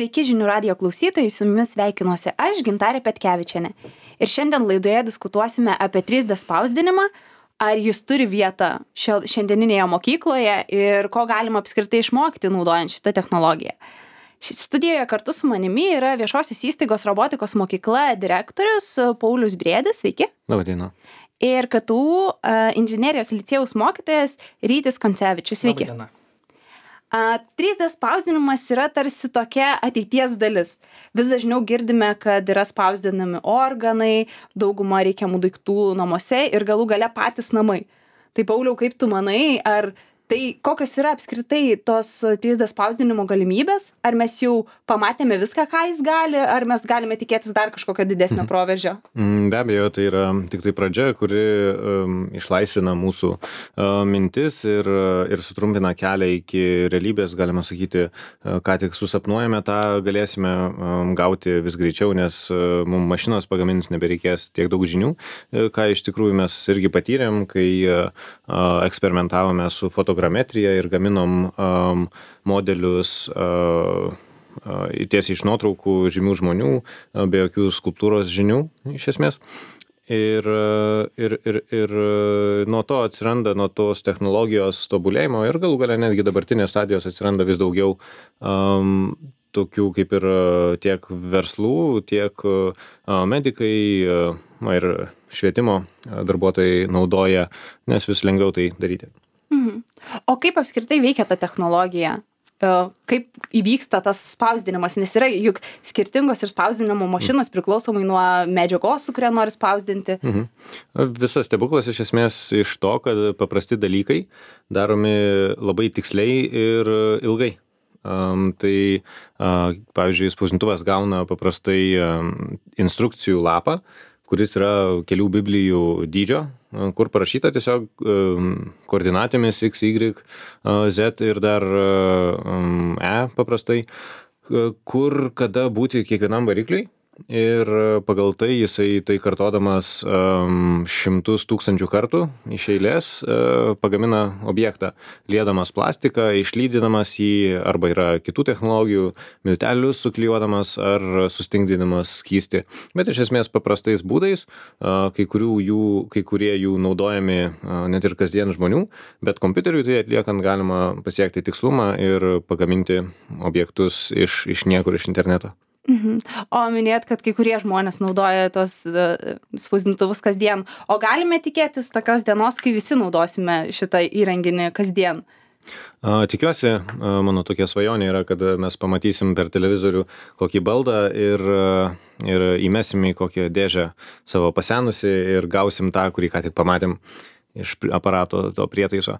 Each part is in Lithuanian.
Sveiki žinių radijo klausytojai, su jumis sveikinuosi aš, Gintarė Petkevičienė. Ir šiandien laidoje diskutuosime apie 3D spausdinimą, ar jis turi vietą šiandieninėje mokykloje ir ko galima apskritai išmokti naudojant šitą technologiją. Studijoje kartu su manimi yra viešosios įstaigos robotikos mokykla direktorius Paulius Briedis. Sveiki. Labadiena. Ir KTU inžinerijos licėjaus mokytojas Rytis Koncevičius. Sveiki. Labadiena. 3D spausdinimas yra tarsi tokia ateities dalis. Vis dažniau girdime, kad yra spausdinami organai, dauguma reikiamų daiktų namuose ir galų gale patys namai. Tai Pauliau, kaip tu manai, ar tai kokios yra apskritai tos 3D spausdinimo galimybės? Ar mes jau pamatėme viską, ką jis gali, ar mes galime tikėtis dar kažkokio didesnio proveržio? Be abejo, tai yra tik tai pradžia, kuri išlaisvina mūsų mintis ir sutrumpina kelią iki realybės, galima sakyti, ką tik susapnuojame, tą galėsime gauti vis greičiau, nes mums mašinos pagamins nebereikės tiek daug žinių, ką iš tikrųjų mes irgi patyrėm, kai eksperimentavome su fotogrametrija ir gaminom modelius tiesiai iš nuotraukų žymių žmonių, be jokių skulptūros žinių, iš esmės. Ir nuo to atsiranda, nuo tos technologijos tobulėjimo ir galų gale netgi dabartinės stadijos atsiranda vis daugiau tokių kaip ir tiek verslų, tiek medikai ir švietimo darbuotojai naudoja, nes vis lengviau tai daryti. O kaip apskritai veikia ta technologija? Kaip įvyksta tas spausdinimas? Nes yra juk skirtingos ir spausdinimo mašinos priklausomai nuo medžiagos, su kuria nori spausdinti. Visas stebuklas iš esmės iš to, kad paprasti dalykai daromi labai tiksliai ir ilgai. Tai, pavyzdžiui, spausdintuvas gauna paprastai instrukcijų lapą, kuris yra kelių biblijų dydžio, kur parašyta tiesiog koordinatėmis X, Y, Z ir dar E paprastai, kur kada būti kiekvienam varikliui. Ir pagal tai jisai tai kartodamas šimtus tūkstančių kartų iš eilės pagamina objektą, liedamas plastiką, išlydinamas jį, arba yra kitų technologijų, miltelius suklijuodamas ar sustingdinamas skystį. Bet iš esmės paprastais būdais, kai kurie jų naudojami net ir kasdien žmonių, bet kompiuteriui tai atliekant galima pasiekti tikslumą ir pagaminti objektus iš niekur, iš interneto. O minėjot, kad kai kurie žmonės naudoja tos spausdintuvus kasdien. O galime tikėtis tokios dienos, kai visi naudosime šitą įrenginį kasdien? Tikiuosi, mano tokia svajonė yra, kad mes pamatysim per televizorių kokį baldą ir įmesim į kokią dėžę savo pasenusį ir gausim tą, kurį ką tik pamatėm iš aparato to prietaiso.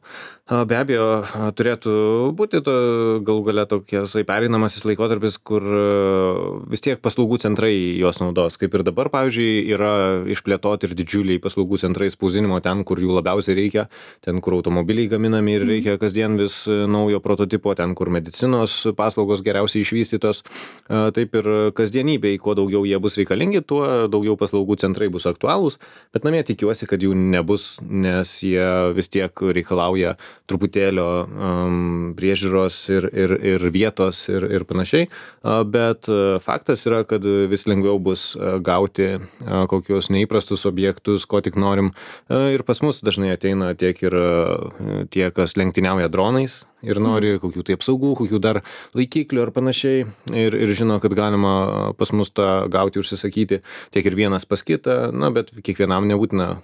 Be abejo, turėtų būti galų gale tokias pereinamasis laikotarpis, kur vis tiek paslaugų centrai juos naudos. Kaip ir dabar, pavyzdžiui, yra išplėtoti ir didžiuliai paslaugų centrai spausdinimo ten, kur jų labiausiai reikia, ten, kur automobiliai gaminami ir reikia kasdien vis naujo prototipo, ten, kur medicinos paslaugos geriausiai išvystytos. Taip ir kasdienybei, kuo daugiau jie bus reikalingi, tuo daugiau paslaugų centrai bus aktualūs, bet namie tikiuosi, kad jų nebus, nes jie vis tiek reikalauja truputėlio priežiūros ir vietos ir panašiai. Bet faktas yra, kad vis lengviau bus gauti kokius neįprastus objektus, ko tik norim. Ir pas mus dažnai ateina tie, kas lenktyniauja dronais ir nori kokių tai apsaugų, kokių dar laikiklių ar panašiai. Ir žino, kad galima pas mus tą gauti, užsisakyti tiek ir vienas pas kitą, bet kiekvienam nebūtina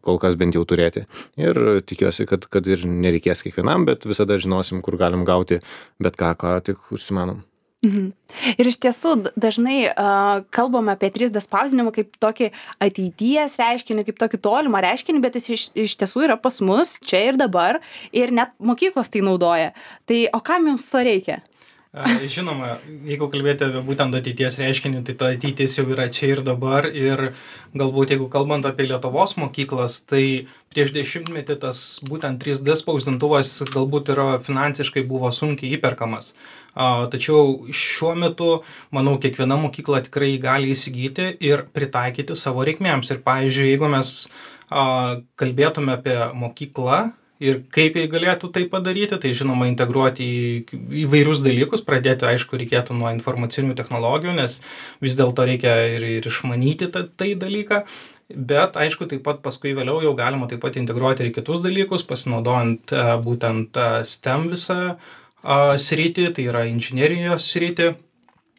kol kas bent jau turėti. Ir tikiuosi, kad ir nereikės kiekvienam, bet visada žinosim, kur galim gauti bet ką tik užsimanom. Ir iš tiesų dažnai kalbam apie 3D spausdinimą kaip tokį ateities reiškinį, kaip tokį tolimą reiškinį, bet jis iš tiesų yra pas mus čia ir dabar ir net mokyklos tai naudoja. Tai o kam jums to reikia? Žinoma, jeigu kalbėti apie būtent ateities reiškinį, tai ta ateitis jau yra čia ir dabar ir galbūt jeigu kalbant apie Lietuvos mokyklas, tai prieš 10 metį tas būtent 3D spausdintuvas galbūt finansiškai buvo sunkiai įperkamas. Tačiau šiuo metu, manau, kiekviena mokykla tikrai gali įsigyti ir pritaikyti savo reikmėms. Ir pavyzdžiui, jeigu mes kalbėtume apie mokyklą ir kaip jie galėtų tai padaryti, tai žinoma integruoti į įvairius dalykus, pradėti aišku reikėtų nuo informacinių technologijų, nes vis dėlto reikia ir išmanyti tai dalyką, bet aišku taip pat paskui vėliau jau galima taip pat integruoti ir kitus dalykus, pasinaudojant būtent STEM visą sritį, tai yra inžinerijos sritį.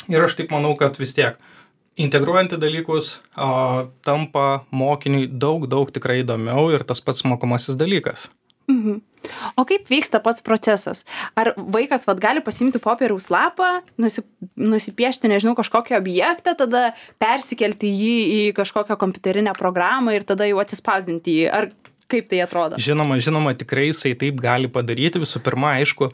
Ir aš taip manau, kad vis tiek integruojant į dalykus tampa mokiniui daug tikrai įdomiau ir tas pats mokomasis dalykas. Mhm. O kaip vyksta pats procesas? Ar vaikas gali pasimti popieriaus lapą, nusipiešti, nežinau, kažkokį objektą, tada persikelti jį į kažkokią kompiuterinę programą ir tada jau atsispausdinti jį? Ar kaip tai atrodo? Žinoma, tikrai jisai taip gali padaryti. Visų pirma, aišku,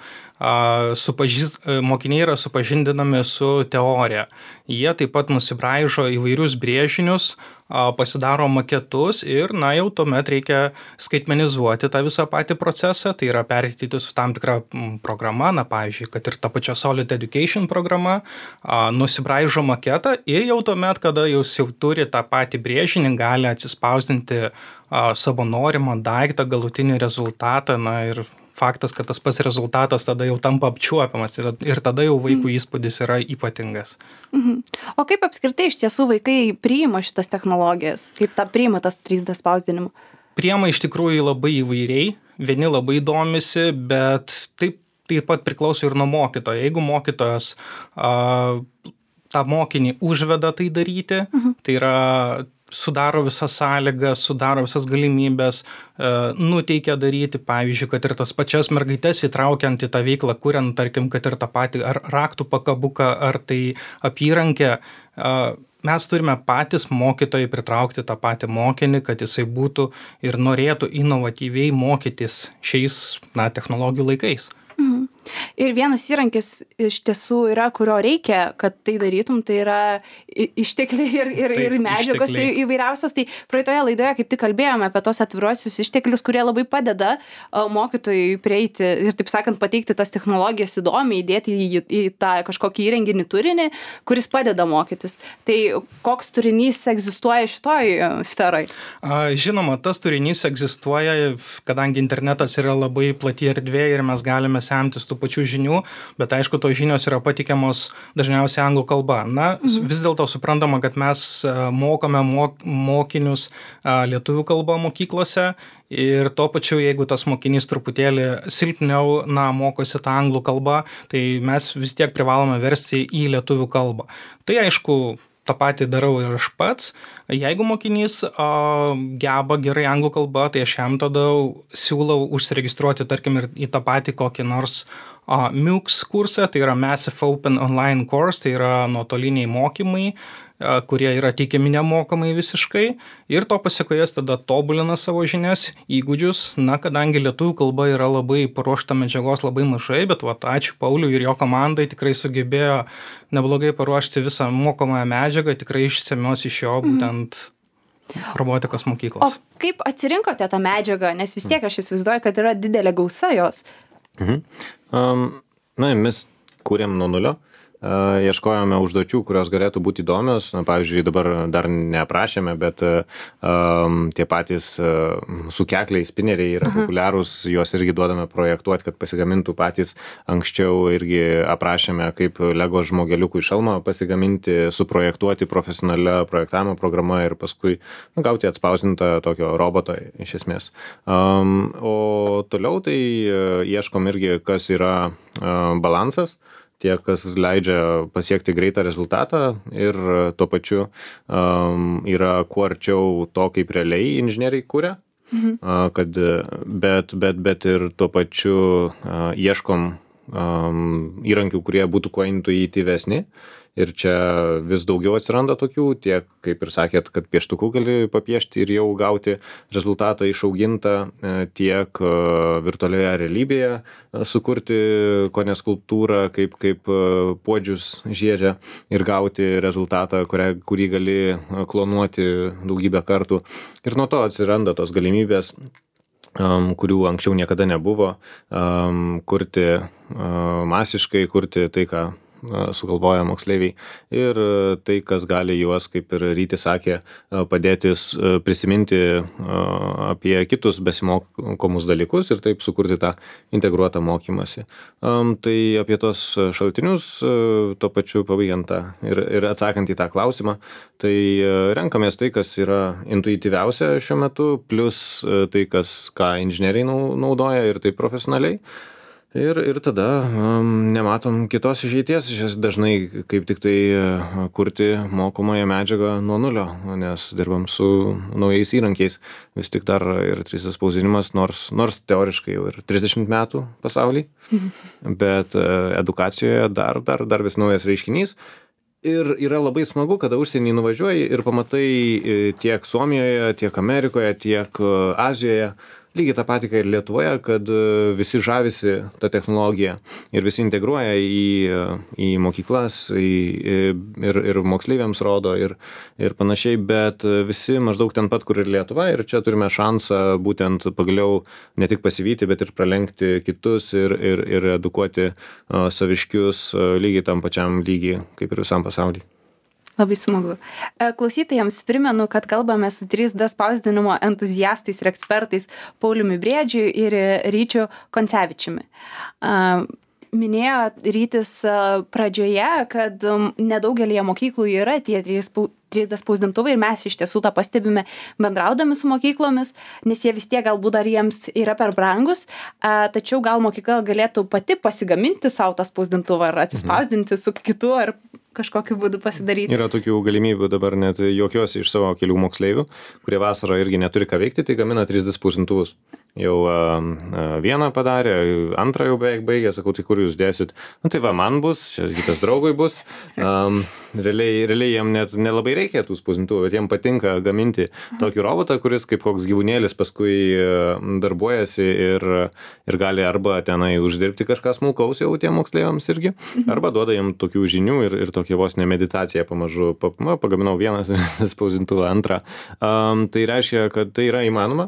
mokiniai yra supažindinami su teorija. Jie taip pat nusibraižo įvairius brėžinius, pasidaro maketus ir, jau tuomet reikia skaitmenizuoti tą visą patį procesą, tai yra perteikti su tam tikra programa, pavyzdžiui, kad ir ta pačia Solid Education programa, nusibraižo maketą ir jau tuomet, kada jūs jau turi tą patį brėžinį, gali atsispausdinti savo norimą daiktą, galutinį rezultatą, ir faktas, kad tas pats rezultatas tada jau tampa apčiuopiamas ir tada jau vaikų įspūdis yra ypatingas. Mhm. O kaip apskritai iš tiesų vaikai priima šitas technologijas? Kaip priima tas 3D spausdinimą? Priima iš tikrųjų labai įvairiai, vieni labai domisi, bet taip pat priklauso ir nuo mokytojo. Jeigu mokytojas tą mokinį užveda tai daryti, tai yra sudaro visas sąlygas, sudaro visas galimybės, nuteikia daryti, pavyzdžiui, kad ir tas pačias mergaitės įtraukiant į tą veiklą, kuriant, tarkim, kad ir tą patį ar raktų pakabuką, ar tai apyrankę, mes turime patys mokytojai pritraukti tą patį mokinį, kad jisai būtų ir norėtų inovatyviai mokytis šiais technologijų laikais. Mhm. Ir vienas įrankis iš tiesų yra, kurio reikia, kad tai darytum, tai yra ištekliai ir medžiagos įvairiausios. Tai praeitoje laidoje kaip tik kalbėjome apie tos atviruosius išteklius, kurie labai padeda mokytojui prieiti ir, taip sakant, pateikti tas technologijas įdomiai, įdėti į tą kažkokį įrenginį turinį, kuris padeda mokytis. Tai koks turinys egzistuoja šitoj sferai? Žinoma, tas turinys egzistuoja, kadangi internetas yra labai plati erdvė ir mes galime semtis tų pačių žinių, bet aišku, tos žinios yra patikiamos dažniausiai anglų kalba. Vis dėlto suprantama, kad mes mokome mokinius lietuvių kalbą mokyklose ir tuo pačiu, jeigu tas mokinys truputėlį silpniau mokosi tą anglų kalbą, tai mes vis tiek privalome versti į lietuvių kalbą. Tai aišku, tą patį darau ir aš pats. Jeigu mokinys geba gerai anglų kalbą, tai aš jam tada siūlau užsiregistruoti, tarkim, ir į tą patį kokį nors MOOCs kursą, tai yra Massive Open Online Course, tai yra nuotoliniai mokymai, kurie yra teikiami nemokamai visiškai ir to pasekoje tada tobulina savo žinias, įgūdžius, kadangi lietuvių kalba yra labai paruošta medžiagos labai mažai, bet ačiū Pauliui ir jo komandai tikrai sugebėjo neblogai paruošti visą mokomąją medžiagą, tikrai išsemios iš jo būtent robotikos mokyklos. O kaip atsirinkote tą medžiagą, nes vis tiek aš įsivaizduoju, kad yra didelė gausa jos? Mes kūrėm nuo nulio. Ieškojome užduočių, kurios galėtų būti įdomios. Pavyzdžiui, dabar dar neaprašėme, bet tie patys sukekliai, spineriai yra populiarūs, juos irgi duodame projektuoti, kad pasigamintų patys. Anksčiau irgi aprašėme, kaip Lego žmogeliukų šalmą pasigaminti, suprojektuoti profesionalia projektavimo programa ir paskui gauti atspausdintą tokio roboto iš esmės. O toliau tai ieškom irgi, kas yra balansas. Tie, kas leidžia pasiekti greitą rezultatą ir tuo pačiu yra kuo arčiau to, kaip realiai inžinieriai kuria, kad, bet ir tuo pačiu ieškom įrankių, kurie būtų kuo intuityvesni. Ir čia vis daugiau atsiranda tokių, tiek, kaip ir sakėt, kad pieštuku gali papiešti ir jau gauti rezultatą išaugintą, tiek virtualioje realybėje sukurti kone skulptūrą, kaip puodžius žiedžia ir gauti rezultatą, kurį gali klonuoti daugybę kartų. Ir nuo to atsiranda tos galimybės, kurių anksčiau niekada nebuvo, kurti masiškai, kurti tai, ką sugalvoja moksleiviai. Ir tai, kas gali juos, kaip ir Rytis sakė, padėti prisiminti apie kitus besimokomus dalykus ir taip sukurti tą integruotą mokymąsi. Tai apie tos šaltinius, tuo pačiu pabaigiant tą ir atsakant į tą klausimą, tai renkamės tai, kas yra intuityviausia šiuo metu, plus tai, ką inžinieriai naudoja ir tai profesionaliai. Ir tada nematom kitos išeities, dažnai kaip tik tai kurti mokomąją medžiagą nuo nulio, nes dirbam su naujais įrankiais. Vis tik dar ir 3D spausdinimas, nors teoriškai jau ir 30 metų pasaulyje, bet edukacijoje dar vis naujas reiškinys. Ir yra labai smagu, kada užsienį nuvažiuoji ir pamatai tiek Suomijoje, tiek Amerikoje, tiek Azijoje, lygiai tą patį, ir Lietuvoje, kad visi žavisi tą technologiją ir visi integruoja į mokyklas ir moksleiviams rodo ir panašiai, bet visi maždaug ten pat, kur ir Lietuva, ir čia turime šansą būtent pagaliau ne tik pasivyti, bet ir pralenkti kitus ir edukuoti saviškius lygiai tam pačiam lygiai, kaip ir visam pasaulyje. Labai smagu. Klausytojams primenu, kad kalbame su 3D spausdinimo entuziastais ir ekspertais Pauliumi Briedžiu ir Ryčiu Koncevičiumi. Minėjo Rytis pradžioje, kad nedaugelėje mokyklų yra tie 3D spausdintuvai ir mes iš tiesų tą pastebime bendraudami su mokyklomis, nes jie vis tiek galbūt dar jiems yra per brangus, tačiau gal mokykla galėtų pati pasigaminti savo tą spausdintuvą ar atsispausdinti su kitu ar kažkokiu būdu pasidaryti. Yra tokių galimybių dabar net juokiuosi iš savo kelių moksleivių, kurie vasarą irgi neturi ką veikti, tai gamina 3D spausdintuvus. Jau vieną padarė, antrą jau beveik baigė, sakau, tai kur jūs dėsit? Nu tai va, man bus, čia kitas draugui bus. Realiai jiem net nelabai reikia tų spausdintuvų, bet jiem patinka gaminti tokį robotą, kuris kaip koks gyvūnėlis paskui darbuojasi ir gali arba tenai uždirbti kažką smulkaus jau tiem moksleiviams irgi, arba duoda jiem tokių žinių ir tokia vos ne meditacija pamažu. Pagaminau vieną spausdintuvą, antrą. Tai reiškia, kad tai yra įmanoma.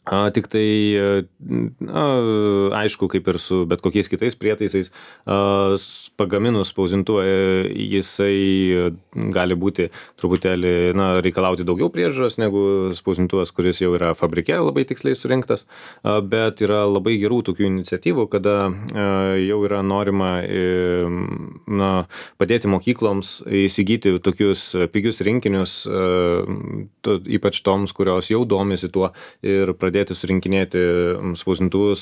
Tik tai, aišku, kaip ir su bet kokiais kitais prietaisais, pagaminus spausdintuvą, jisai gali būti truputėlį, reikalauti daugiau priežiūros negu spausdintuvas, kuris jau yra fabrike labai tiksliai surinktas, bet yra labai gerų tokių iniciatyvų, kada jau yra norima padėti mokykloms įsigyti tokius pigius rinkinius, ypač toms, kurios jau domisi tuo ir pradėti surinkinėti spausdintuvus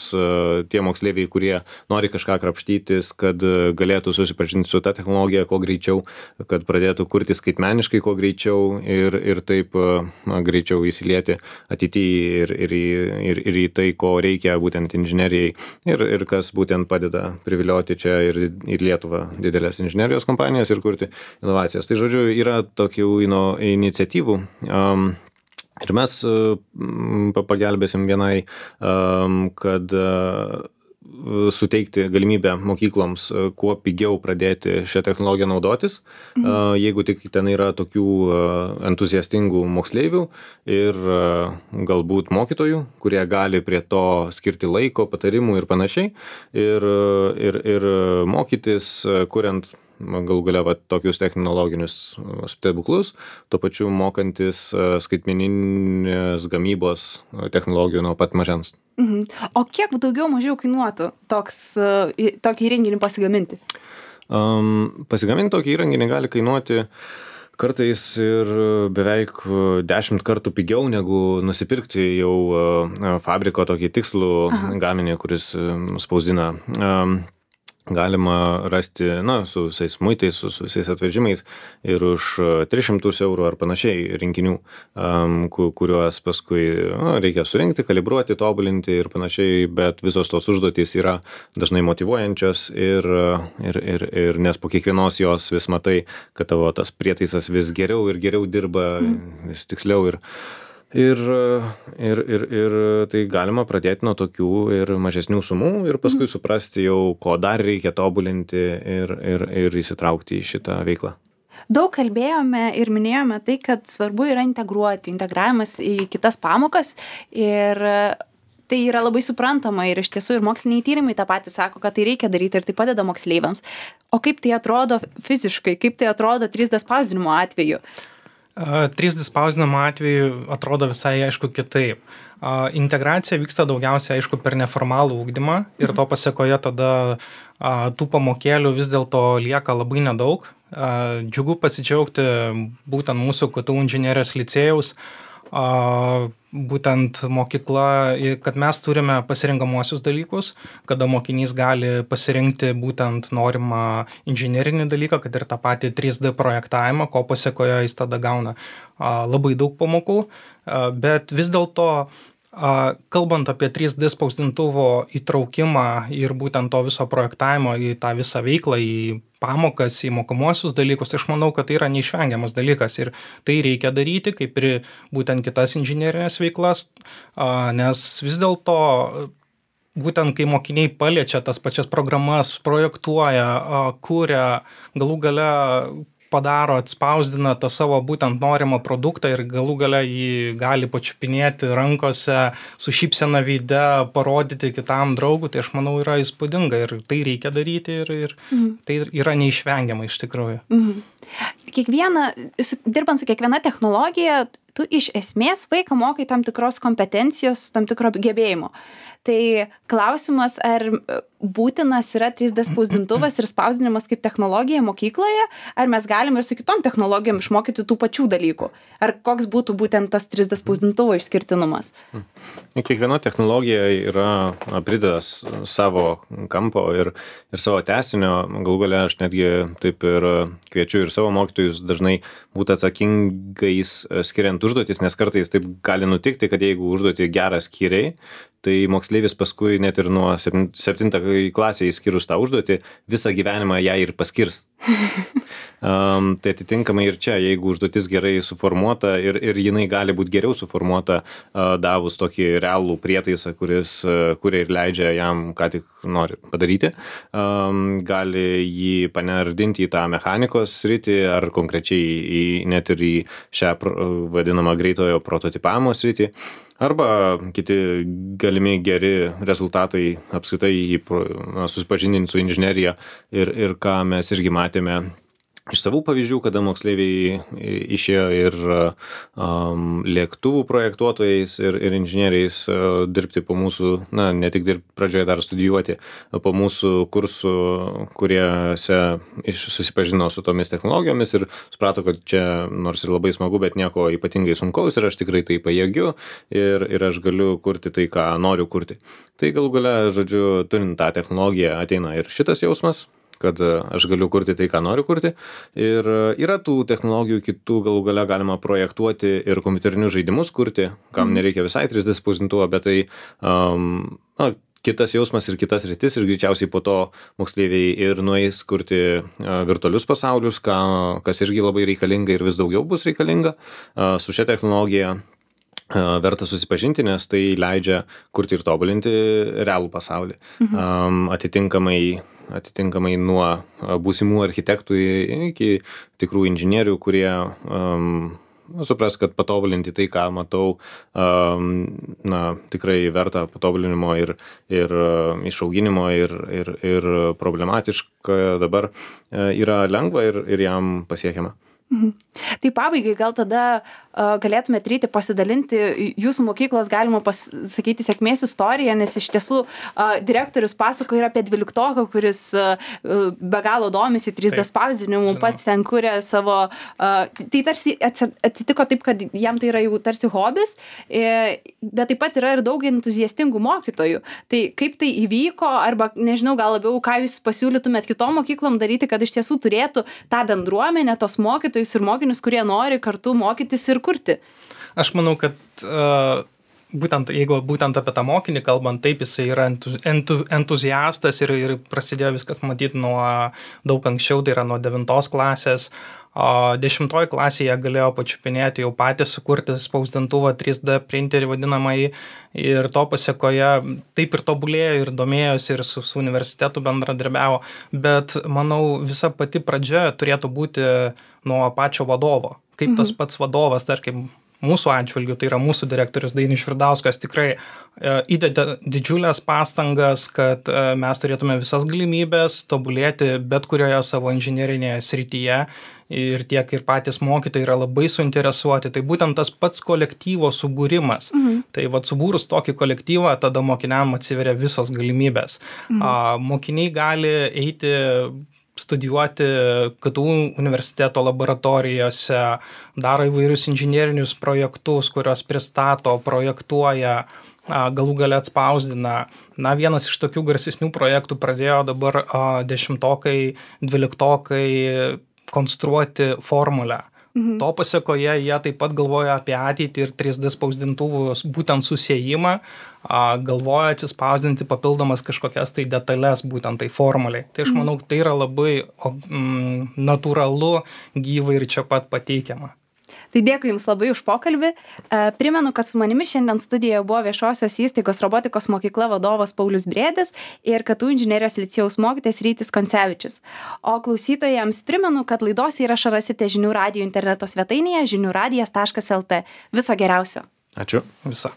tie moksleiviai, kurie nori kažką krapštytis, kad galėtų susipažinti su ta technologija kuo greičiau, kad pradėtų kurti skaitmeniškai kuo greičiau ir taip greičiau įsilieti ateityje ir į tai, ko reikia būtent inžinerijai ir kas būtent padeda privilioti čia ir Lietuvą didelės inžinerijos kompanijas ir kurti inovacijas. Tai žodžiu, yra tokių iniciatyvų. Ir mes pagelbėsim vienai, kad suteikti galimybę mokykloms kuo pigiau pradėti šią technologiją naudotis, jeigu tik ten yra tokių entuziastingų moksleivių ir galbūt mokytojų, kurie gali prie to skirti laiko, patarimų ir panašiai, ir mokytis, kuriant galų gale tokius technologinius stebuklus, tuo pačiu mokantis skaitmeninės gamybos technologijų nuo pat mažens. O kiek daugiau mažiau kainuotų tokį įrenginį pasigaminti? Pasigaminti tokį įrenginį gali kainuoti kartais ir beveik 10 kartų pigiau negu nusipirkti jau fabriko tokį tikslų gaminį, kuris spausdina. Galima rasti, su visais muitais, su visais atvežimais ir už 300 eurų ar panašiai rinkinių, kuriuos paskui reikia surinkti, kalibruoti, tobulinti ir panašiai, bet visos tos užduotys yra dažnai motyvuojančios ir nes po kiekvienos jos vis matai, kad tavo tas prietaisas vis geriau ir geriau dirba, vis tiksliau ir tai galima pradėti nuo tokių ir mažesnių sumų ir paskui suprasti jau, ko dar reikia tobulinti ir įsitraukti į šitą veiklą. Daug kalbėjome ir minėjome tai, kad svarbu yra integravimas į kitas pamokas ir tai yra labai suprantama ir iš tiesų ir moksliniai tyrimai tą patį sako, kad tai reikia daryti ir tai padeda moksleiviams. O kaip tai atrodo fiziškai, kaip tai atrodo 3D spausdinimo atveju? 3D spausdinimo atveju atrodo visai aišku kitaip. Integracija vyksta daugiausiai aišku per neformalų ugdymą ir to pasekoje tada tų pamokėlių vis dėlto lieka labai nedaug. Džiugu pasidžiaugti būtent mūsų KTU inžinerijos licėjaus būtent mokykla, kad mes turime pasirengamuosius dalykus, kada mokinys gali pasirinkti būtent norimą inžinerinį dalyką, kad ir tą patį 3D projektavimą, ko pasekoje jis tada gauna labai daug pamokų, bet vis dėlto kalbant apie 3D spausdintuvo įtraukimą ir būtent to viso projektavimo į tą visą veiklą, į pamokas, į mokomuosius dalykus, aš manau, kad tai yra neišvengiamas dalykas ir tai reikia daryti, kaip ir būtent kitas inžinerinės veiklas, nes vis dėlto būtent kai mokiniai paliečia tas pačias programas, projektuoja, kuria, galų gale padaro, atspausdina tą savo būtent norimą produktą ir galų gale jį gali pačiupinėti rankose, su šypsena veide, parodyti kitam draugui, tai aš manau yra įspūdinga ir tai reikia daryti ir tai yra neišvengiama iš tikrųjų. Dirbant su kiekviena technologija, tu iš esmės vaiką mokai tam tikros kompetencijos, tam tikro gebėjimo. Tai klausimas, ar būtinas yra 3D spausdintuvas ir spausdinimas kaip technologija mokykloje, ar mes galime ir su kitom technologijom išmokyti tų pačių dalykų? Ar koks būtų būtent tas 3D spausdintuvo išskirtinumas? Kiekviena technologija yra pridedas savo kampo ir savo tęsinio. Galų gale aš netgi taip ir kviečiu ir savo mokytojus dažnai būti atsakingais skiriant užduotis, nes kartais taip gali nutikti, kad jeigu užduotį gerą skiriai, tai moksleivis paskui net ir nuo 7 klasėje skirus tą užduotį, visą gyvenimą ją ir paskirs. Tai atitinkamai ir čia, jeigu užduotis gerai suformuota ir jinai gali būti geriau suformuota, davus tokį realų prietaisą, kuria ir leidžia jam, ką tik nori padaryti, gali jį panardinti į tą mechanikos sritį ar konkrečiai net ir į šią vadinamą greitojo prototipavimo sritį. Arba kiti galimi geri rezultatai apskritai susipažindinti su inžinerija ir ką mes irgi matėme iš savų pavyzdžių, kada moksleiviai išėjo ir lėktuvų projektuotojais ir inžinieriais dirbti po mūsų, ne tik dirbti pradžioje, dar studijuoti po mūsų kursų, kuriuose susipažino su tomis technologijomis ir suprato, kad čia nors ir labai smagu, bet nieko ypatingai sunkaus ir aš tikrai tai pajėgiu ir aš galiu kurti tai, ką noriu kurti. Tai galų gale, žodžiu, turint tą technologiją ateina ir šitas jausmas, kad aš galiu kurti tai, ką noriu kurti. Ir yra tų technologijų kitų, galų gale galima projektuoti ir kompiuterinius žaidimus kurti, kam nereikia visai 3D spausdintuvo, bet tai kitas jausmas ir kitas sritis ir greičiausiai po to moksleiviai ir nueis kurti virtualius pasaulius, kas irgi labai reikalinga ir vis daugiau bus reikalinga. Su šia technologija verta susipažinti, nes tai leidžia kurti ir tobulinti realų pasaulį. Atitinkamai nuo būsimų architektų iki tikrų inžinierių, kurie supras, kad patobulinti tai, ką matau, tikrai verta patobulinimo ir išauginimo ir problematiška dabar yra lengva ir jam pasiekiama. Tai pabaigai gal tada galėtumėte Ryti pasidalinti jūsų mokyklos, galima pasakyti, sėkmės istoriją, nes iš tiesų direktorius pasako ir apie 12-oką, kuris be galo domisi 3D spausdinimu, pats ten kuria savo, tai tarsi atsitiko taip, kad jam tai yra jau tarsi hobis, bet taip pat yra ir daug entuziastingų mokytojų. Tai kaip tai įvyko, arba nežinau, gal labiau, ką jūs pasiūlytumėt kitom mokyklom daryti, kad iš tiesų turėtų tą bendruomenę, tos mokytojus ir mokinius, kurie nori kartu mokytis ir kurti? Aš manau, kad jeigu būtent apie tą mokinį kalbant, taip jisai yra entuziastas ir prasidėjo viskas matyti nuo daug anksčiau, tai yra nuo 9 klasės. 10 klasėje galėjo pačiupinėti jau patys sukurti spausdintuvą 3D printerį vadinamąjį ir to pasekoje taip ir tobulėjo ir domėjosi ir su universitetu bendradarbiavo, bet manau visa pati pradžia turėtų būti nuo pačio vadovo. Kaip tas pats vadovas, tarkim, mūsų atžvilgiu, tai yra mūsų direktorius Dainius Švirdauskas tikrai įdeda didžiulės pastangas, kad mes turėtume visas galimybės tobulėti bet kurioje savo inžinerinėje srityje ir tiek ir patys mokytojai yra labai suinteresuoti. Tai būtent tas pats kolektyvo subūrimas. Tai vat subūrus tokį kolektyvą, tada mokiniam atsiveria visos galimybės. Mokiniai gali eiti studijuoti KTU universiteto laboratorijose, daro įvairius inžinierinius projektus, kurios pristato, projektuoja, galų gale atspausdina. Vienas iš tokių garsesnių projektų pradėjo dabar 10-okai, 12-okai konstruoti formulę. To pasekoje jie taip pat galvoja apie ateitį ir 3D spausdintuvų būtent susiejimą, galvoja atsispausdinti papildomas kažkokias tai detalės būtent tai formuliai. Tai aš manau, tai yra labai natūralu, gyvai ir čia pat pateikiama. Tai dėkui Jums labai už pokalbį. Primenu, kad su manimi šiandien studijoje buvo viešosios įstaigos robotikos mokykla vadovas Paulius Briedis ir KTU inžinerijos licėjaus mokytojas Rytis Koncevičius. O klausytojams primenu, kad laidos įrašą rasite Žinių radijo interneto svetainėje žiniųradijas.lt. Viso geriausio. Ačiū. Viso.